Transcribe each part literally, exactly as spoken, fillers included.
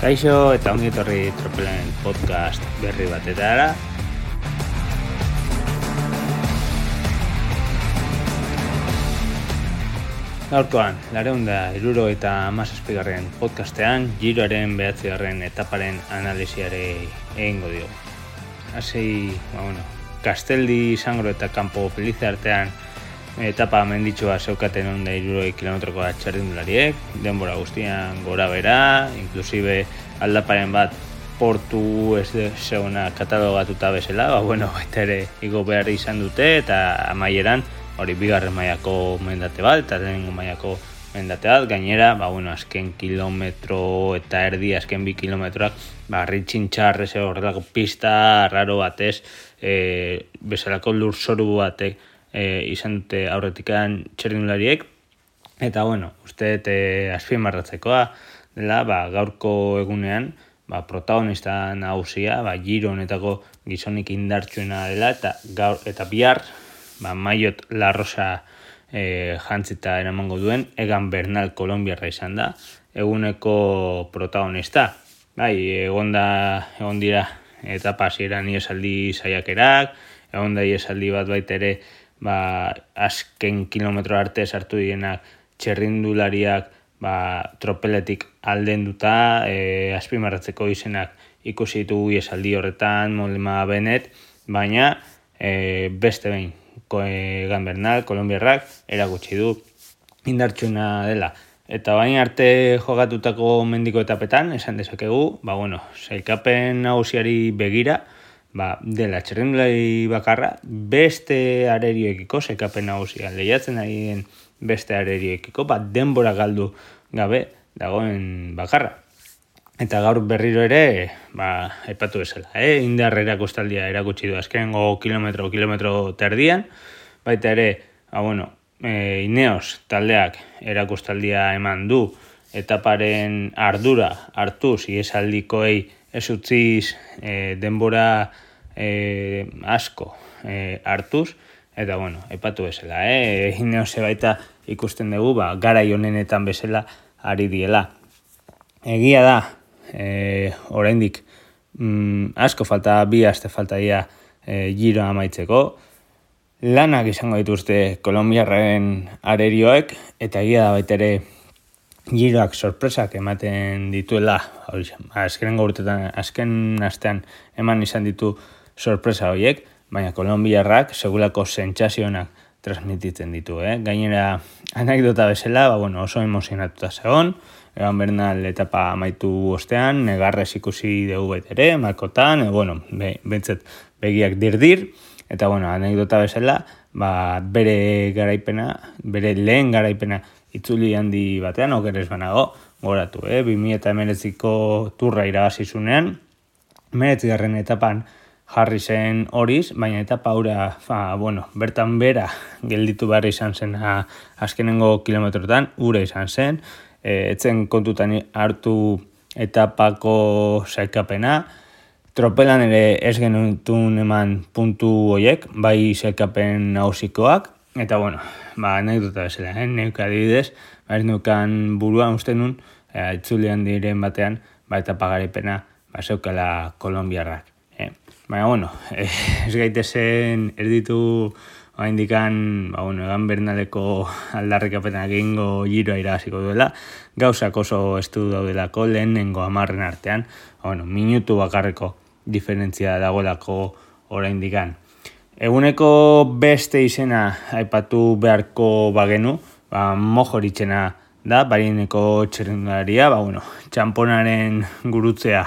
Kaixo eta ongi etorri Tropelen podcast berri batetara. Gaurkoan, laurehun eta hirurogeita hamazazpigarren podcastean Giroaren bederatzigarren etaparen analisiare egingo dio. Hasi, ba bueno, Kasteldi, Sangro eta Campo Felice artean etapa menditsua zeukaten ehun eta hirurogei kilometroko txarrindulariek, denbora guztian gora bera, inklusive aldaparen bat portu ez zegoena katalogatuta bezala, ba bueno, baita ere igo behar izan dute eta amaieran hori bigarren mailako mendate bat eta lehenengo mailako mendate bat, gainera, ba bueno, azken kilometro eta erdi, azken bi kilometroak, ba ritxintxar ez horrelako pista raro batez, e, bezalako lurzoru batek E, izan dute aurretikan txerrindulariek eta bueno, uste e, azpimarratzekoa dela, ba, gaurko egunean ba, protagonista nagusia, ba, Giro honetako gizonik indartsuena dela eta gaur eta bihar ba, Maillot La Rosa e, jantzita eramango duen Egan Bernal kolonbiarra izan da eguneko protagonista. Bai, egon da egon dira etapa hasieran iesaldi saiakerak, egon da iesaldi bat baita ere ba, azken kilometro arte sartu dienak txerrindulariak ba, tropeletik aldenduta, e, azpimarratzeko izenak ikusi ditugu esaldi horretan, Mollema Bennett, baina e, beste behin Egan Bernal, kolonbiarrak, erakutsi du indartsuna dela. Eta bain arte jogatutako mendiko etapetan, esan dezakegu, ba bueno, sailkapen nagusiari begira, ba, dela txerrindulari bakarra, beste arerioekiko, sekapen nagusian lehiatzen ari den beste arerioekiko, ba, denbora galdu gabe dagoen bakarra. Eta gaur berriro ere, ba, aipatu bezala, eh? Indar erakustaldia erakutsi du azkenengo kilometro, kilometro terdian, baita ere, ba, bueno, e, Ineos taldeak erakustaldia eman du, etaparen ardura hartuz, iesaldikoei ez utziz e, denbora e, asko e, hartuz, eta bueno, aipatu bezala, eh? Ineose baita ikusten dugu, ba, garai honenetan bezala ari diela. Egia da, e, oraindik mm, asko falta, bi aste falta dira e, Giro amaitzeko, lanak izango dituzte kolonbiarren arerioek, eta egia da baita ere Giroak sorpresak ematen dituela, azkenengo urtetan, azken astean eman izan ditu sorpresa horiek, baina kolonbiarrak segulako sentsazionak transmititzen ditu, eh? Gainera, anekdota bezala, ba, bueno, oso emozionatuta zegoen, Egan Bernal etapa amaitu ostean, negarrez ikusi dugu baita ere, malkotan, e, bueno, be, bentzat begiak dirdir, eta bueno, anekdota bezala, ba, bere garaipena, bere lehen garaipena itzuli handi batean, okerez banago, goratu, eh? bi mila hemeretziko turra irabazizunean, hemeretzigarren etapan jarri zen horiz, baina etapa hura, fa, bueno, bertan bera gelditu behar izan zen ha, azkenengo kilometrotan, ura izan zen, e, etzen kontutan hartu etapako sailkapena, tropelan ere ez genutun eman puntu hoiek, bai sailkapen nagusikoak, eta bueno, ba, anekdota bezala, eh? Neuk adibidez, ba, ez neukan buruan uste nun, eh, itzulian diren batean, ba, eta pagaripena, ba, zeukala kolonbiarrak. Eh? Baina, bueno, eh, ez gaitezen erditu indikan, ba, bueno, Egan Bernaleko aldarrikapenak egingo Giroa irabaziko duela, gauzak oso estu daudelako lehenengo hamarren artean, ba, bueno, minutu bakarreko diferentzia dagoelako oraindikan. Eguneko beste izena aipatu beharko bagenu, ba, Mohoritzena da, barineko txerrindularia, ba, bueno, txamponaren gurutzea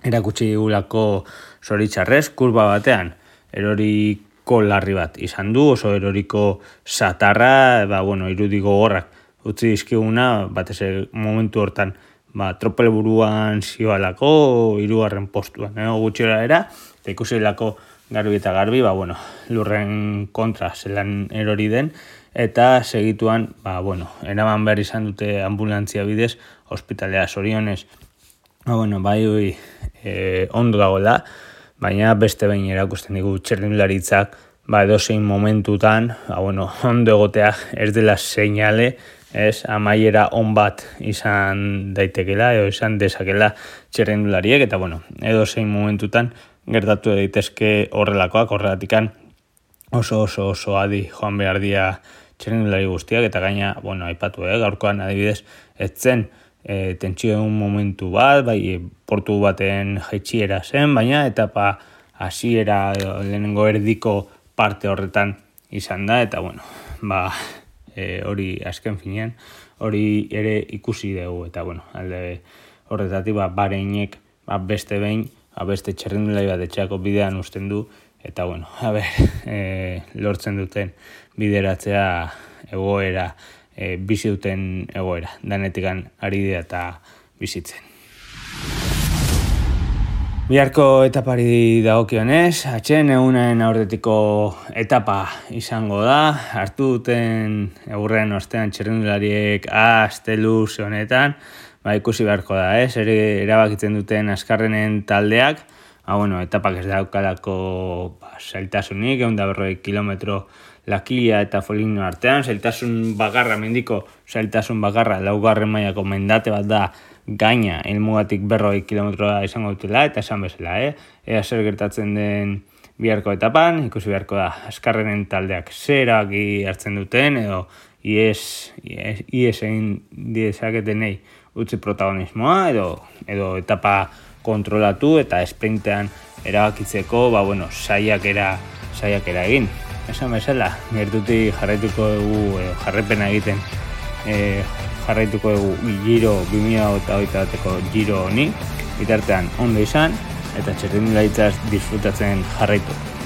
erakutsi digulako zoritxarrez, kurba batean, eroriko larri bat izan du, oso eroriko satarra, ba, bueno, irudiko gorrak utzi dizkiguna, batez momentu hortan, ba, tropel buruan zioalako, hirugarren postuan, eh, gutxora era, eta ikusi lako garbi eta garbi, ba, bueno, lurren kontra zelan erori den, eta segituan, ba, bueno, eraman behar izan dute ambulantzia bidez, ospitalea zorionez, ba, bueno, bai, bai, e, ondo dagoela, baina beste behin erakusten digu txerrindularitzak, ba, edozein momentutan, ba, bueno, ondo egotea ez dela seinale ez, amaiera on bat izan daitekela, edo izan dezakela txirrindulariek, eta bueno, edo zein momentutan gertatu daitezke horrelakoak, horrelatikan oso oso oso adi joan behar dira txirrindulari guztiak, eta gaina, bueno, aipatu, eh, gaurkoan adibidez, etzen e, tentsio egun momentu bat, bai, portu baten jaitxiera zen, baina etapa hasiera lehenengo erdiko parte horretan izan da, eta bueno, ba, E, hori azken finean, hori ere ikusi dugu, eta bueno, alde horretatik ba, Bahreinek ba, beste behin, ba, beste txirrindulari bat etxeako bidean uzten du, eta bueno, a ber, e, lortzen duten bideratzea egoera, e, bizi duten egoera, danetikan ari dira eta bizitzen. Biharko etapari dagokionez, atxen egunen aurretiko etapa izango da, hartu duten egurren ostean txirrindulariek asteluz honetan, ba, ikusi beharko da, ez, ere erabakitzen duten azkarrenen taldeak, ba, bueno, etapak ez daukalako ba, zailtasunik, egun da berroi kilometro Lakia eta Foligno artean, zailtasun bagarra, mendiko zailtasun bagarra, laugarren mailako mendate bat da, gaina helmugatik berroi kilometroa izango dutela, eta esan bezala, eh? Ea zer gertatzen den biharko etapan, ikusi beharko da, azkarrenen taldeak zeraki hartzen duten, edo ies, ies, ies egin diezaketenei utzi protagonismoa, edo, edo etapa kontrolatu eta esprintean erabakitzeko, ba, bueno, saiakera, saiakera egin. Esan bezala, gertuti jarraituko dugu, edo jarrepena egiten, e, jarraituko dugu Giro bi mila hogeita bateko Giro honi, bitartean ondo izan, eta txirrindularitzaz disfrutatzen jarraitu.